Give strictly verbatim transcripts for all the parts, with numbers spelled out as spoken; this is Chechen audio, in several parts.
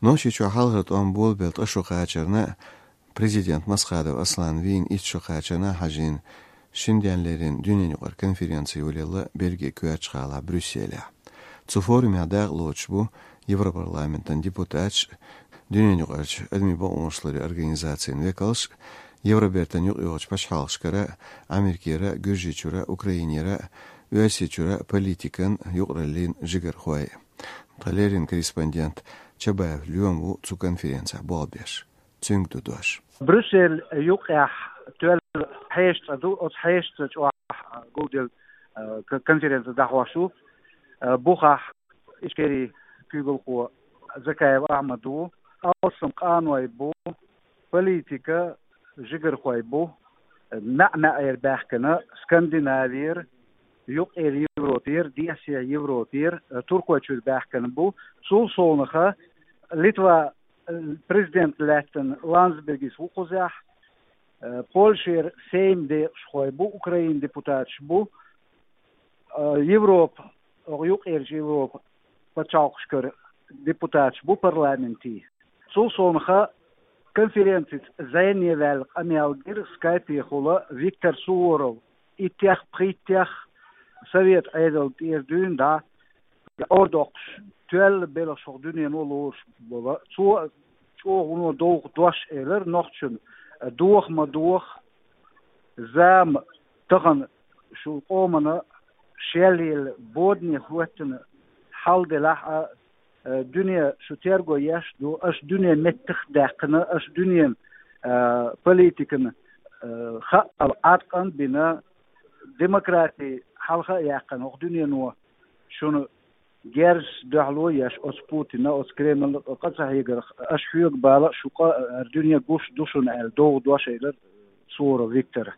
Нохчийчохь хьалхара тӀом болабелла ткъа шу кхачарна, президент Масхадов Аслан вийна итт шу кхачарна хьажийна, шин денна леррина дуьненаюкъара конференци йолаелла Бельгин коьртачу гӀалахь Брюсселехь. Цу форумехь дакъа лоцуш бу Европарламентан депутаташ, дуьненаюкъарчу адамийн бакъонаш ларъяран организацийн векалш, Евробертан юкъайогӀучу пачхьалкхашкара, Америкера, Гуьржийчуьра, Украинера, Оьрсийчуьра политикан, юкъараллин жигархой. Тхан леррина корреспондент Чабаев Лоьма ву цу конференцехь болх беш. Цуьнга ду дош. Брюссель юккъехь тоьлла хьешан цӀа ду, оцу хьешан цӀа чохь гулделла, э, к-, конференци дӀахьош ву. Э, бухахь Ичкерин куьйгалхо Закаев Ахьмад ву, алсам къаной бу, политика жигархой бу, маьӀ-маьӀӀера баьхкина, Скандинавера, Юккъера Европера, Десера Европера, э, Туркойчуьра баьхкина бу. Цул совнаха Литва, э, президент лаьттина Ландсбергис ву кхузахь, э, Польшера Сейм декъашхой бу, Украинан депутаташ бу, э, Европа, оха юккъерчу Европа пачхьалкхашкара депутаташ бу парламентийн. Цул совнаха конференцица зӀене ваьлла къамел гира скайпехула Виктор Суворов, иттех, пхийттех совет Ӏедална тӀера дуьйна дӀа, ор доккхуш, тоьлла белхаш хӀокху дуьнено лоруш болу. Цо чӀогӀа вуно довха дош элира нохчашна: доха ма доха, зама тахана шун къомана шелъелла бодане хӀоьттина хьал делахь а, э, дуьне шу терго еш ду, аша дуьне меттах а даьккхина, аша дуьненан, э, политикан, э, хаъал Ӏаткъам а бина, демократи хьалха а яьккхина, хӀокху дуьнено шуна герзаца дуьхьало еш оцу Путина, оцу Кремлна къа ца хьегарх, аша хьоьга бала а, шу къа а, дуьне гуш ду шуна аьлла, довха дош элира Суворов Виктора.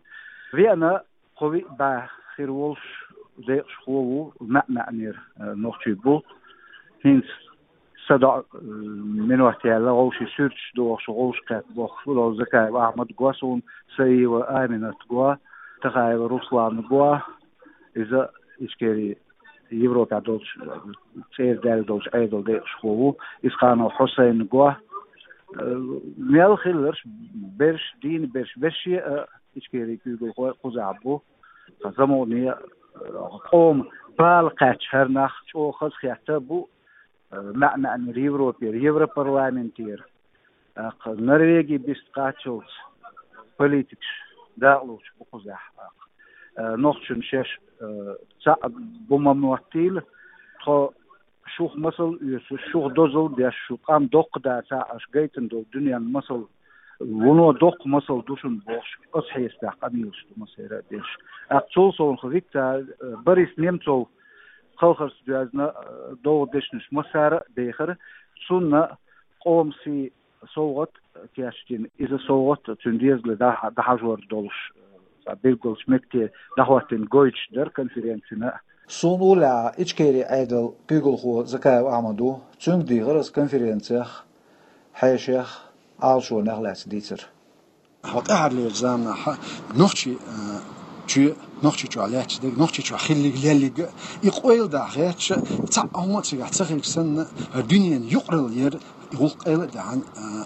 Веана кхо-виъ бӀе хир волуш декъашхо ву, маьӀ-маьӀӀера, э, нохчий бу. ХӀинца садоӀу, э, минот яьлла, вовшийн суьрташ дохуш, вовшах кхетта бохуш ву, Закаев Ахьмад го суна, Саиева Аминат го, Тахаева Руслан го, иза Ичкерин Европехь долчу, цӀера даьлла долчу Ӏедалан декъашхо ву, Исханов Хьусайн го, э, мел хилларш, берш, дийна берш, вешший а Ичкерин куьйгалхой кхузахь бу. Ткъа замане, э, къоман бала кхаьчча хӀара нах чӀогӀа хазахетта бу, э, маьӀ-маьӀӀера Европера, Европарламентера. ТӀаккха Норвеги бист кхаччалц политикаш дакъалоцуш бу кхузахь. ТӀаккха, э, нохчашна шаьш, э, цхьаъ бу ма моттийла, тхо шух масал оьцуш, шух дозалла деш, шун къам доккха дацахь, аша гайтина долу дуьненна масал, вуно доккха масал ду шуна бохуш, оцу хьесапехь къамелаш ду массеран а деш. ТӀаккха цул совнаха Виктор, э, Борис Немцов кхалхарца доьзна, э, довха дешнаш массара а дехира, цунна къоман сий совгӀат кечдина. Иза совгӀат цуьнан дезале дӀа-, дӀахьажор долуш, цхьа билгалчу метте дӀахӀоттийна гойтуш дара конференцина. Суна уллехь Ичкерин Ӏедалан куьйгалхо Закаев Ахьмад ву, цуьнга дийхира аса конференцех, хьешех, Ӏалашонех лаьцна дийцар. ХӀокху тӀаьххьарлерчу заманахь нохчий, а, чоь, Нохчийчохь лаьтташ дерг, Нохчийчохь хиллиг, леллиг, и къойла дахь гӀерташ, цхьаъ хӀума а цигахь ца хилча санна, дуьненан юкъаралла яр, и гӀуллакх къайла а даьхьна, а,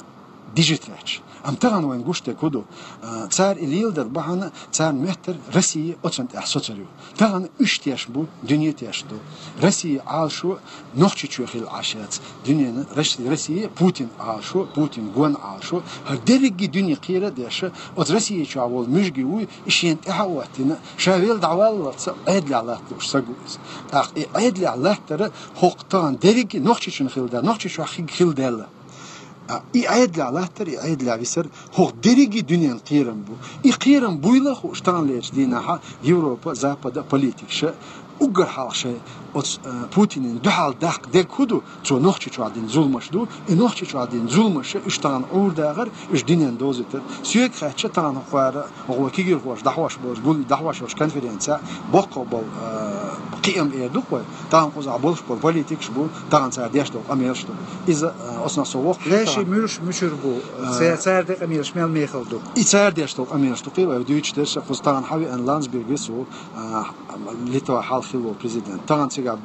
дижитехь. Амма тахана вайна гуш дерг хӀун ду? А, цара и леладар бахьана, царна моьттура Россия оцунна тӀехь соцур ю. Тахана уьш теш бу, дуьне теш ду. Россия Ӏалашо Нохчийчоь хилла Ӏаш яц. Дуьненан Росси-, Россия Путин Ӏалашо, Путин гон Ӏалашо, хӀара дерриге дуьне кхера а деш, оцу Россия чохь волу муьжги вуй, и шена тӀаьхьа а хӀоттийна, ша велла дӀаваллалц Ӏедалехь латта лууш саг ву иза. ТӀаккха и Ӏедалехь латтара хӀокху тахана дерриге Нохчийчунна хилла даьлла, Нохчийчохь хиг хилла даьлла. А, и Ӏедалехь латтар, и Ӏедалехь висар, хӀокху дерриге дуьненан кхерам бу. И кхерам буйла а хууш, таханлерчу дийнахьа Европа, Запада политикаша уггар хьалха шайн оцу, а, Путинна дуьхьал даккха дерг хӀун ду? Цо Нохчийчохь дина зуламаш ду, и Нохчийчохь дина зуламаш уьш тахана Ӏур дахар, уьш дуьненна довзуьйтар. Соьга хаьттича тахана хӀокхара, хӀокху вай кегийрхоша дӀахьош болчу, гул-, дӀахьош йолчу конференцехь боккха болу, а, кхиам эр ду-кх вай. Тахана кхузахь болуш болу политикаш бу, тахана цара деш долу къамелаш ду. Иза, а, оцунах со воккхуш ву. Вешин тахана муьлш муьшуьр бу? Э, цара, цара ден къамелаш мел мехала ду? И цара деш долу къамелаш ду, кхин вай дуьйцуш дерш, кхуза тахана хьан веана Ландсбергис ву, а, Литва хьалха хилла волу президент. Тахана цигахь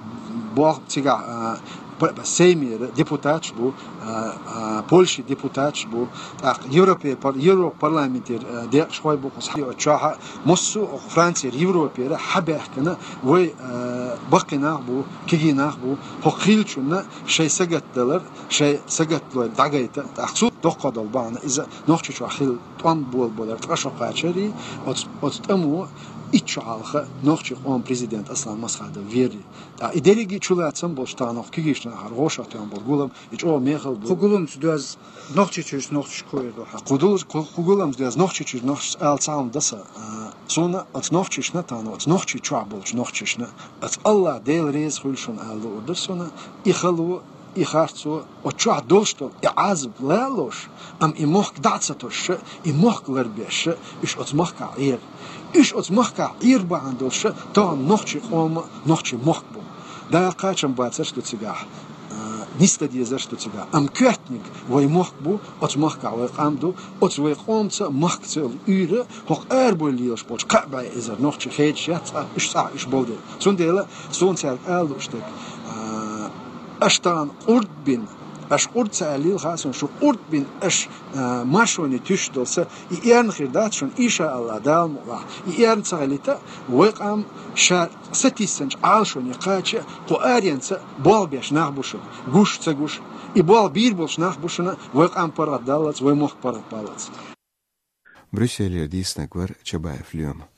бох-, цигахь, а, П-, Сеймера депутаташ бу, а, а, Польши депутаташ бу, тӀаккха Европе пар-, Европа парламентера, а, декъашхой бу, кхуза хьайо чохьа, массо а Францера, Европера хьабаьхкина, вай, а, баккхий нах бу, кегий нах бу, хӀокху хиллачунна шайн сагатдалар, шайн сагатдалар дӀагайта, тӀаккха цу доккхо долу бахьана иза Нохчийчохь хилла тӀом болабалар ткъа шо кхачарий, оцу, оцу тӀамо итт шо хьалха нохчийн къоман президент Аслан Масхадов вери. Ткъа и дерриге чулацам болуш тахана кегийчу нахара гӀошах тоьхна болу гулам, и чӀогӀа мехала бу. Кху гуламца доьзна Нохчийчуьрчу нохчашка хӀун эр ду хьан? Кху дул-, кху, кху гуламца доьзна Нохчийчуьрчу нохчашца ала ца хьуна даса. А, суна оцу нохчашна тахана, оцу Нохчийчохь болчу нохчашна, оцу Аллах Дела реза хуьлу шуна ала луур ду суна, и хало, и харцо, оцу чохь долуш долу и Ӏазап лалош, амма и мохк дӀа а ца тосуш, и мохк ларбеш, уьш оцу махкахь Ӏера. Уьш оцу махкахь Ӏер бахьана долуш, тахана нохчийн къоман, нохчийн мохк бу. Дала кхачам бацарш ду цигахь, а, нисдан дезарш ду цигахь. Амма коьртаниг вай мохк бу, оцу махкахь вай къам ду, оцу вай къомца махкаца йолу уьйр, хӀокху арабевлла лелаш болчу кхаа бӀе эзар нохчи хедаш яц цкъа, уьш цкъа уьш болу дела. Цундела суна цаьрга ала лууш дерг, а, аша тахана къурд бина, аша къурд ца аьллийла хаьа суна, шу къурд бина аша, а, маршоне туьйсуш долу са, и эрна хир дац шуна, иншааллахӀ, Дала мукъалахь. И эрна ца хилийта, вай къам ша сатийсанчу Ӏалашоне кхача, кху аренца болх беш нах бу шуна, гуш а ца гуш. И болх бийр болуш нах бу шуна, вай къам паргӀатдаллалц, вай мохк паргӀатбаллалц. Брюсселера дийцинарг вара Чабаев Лема.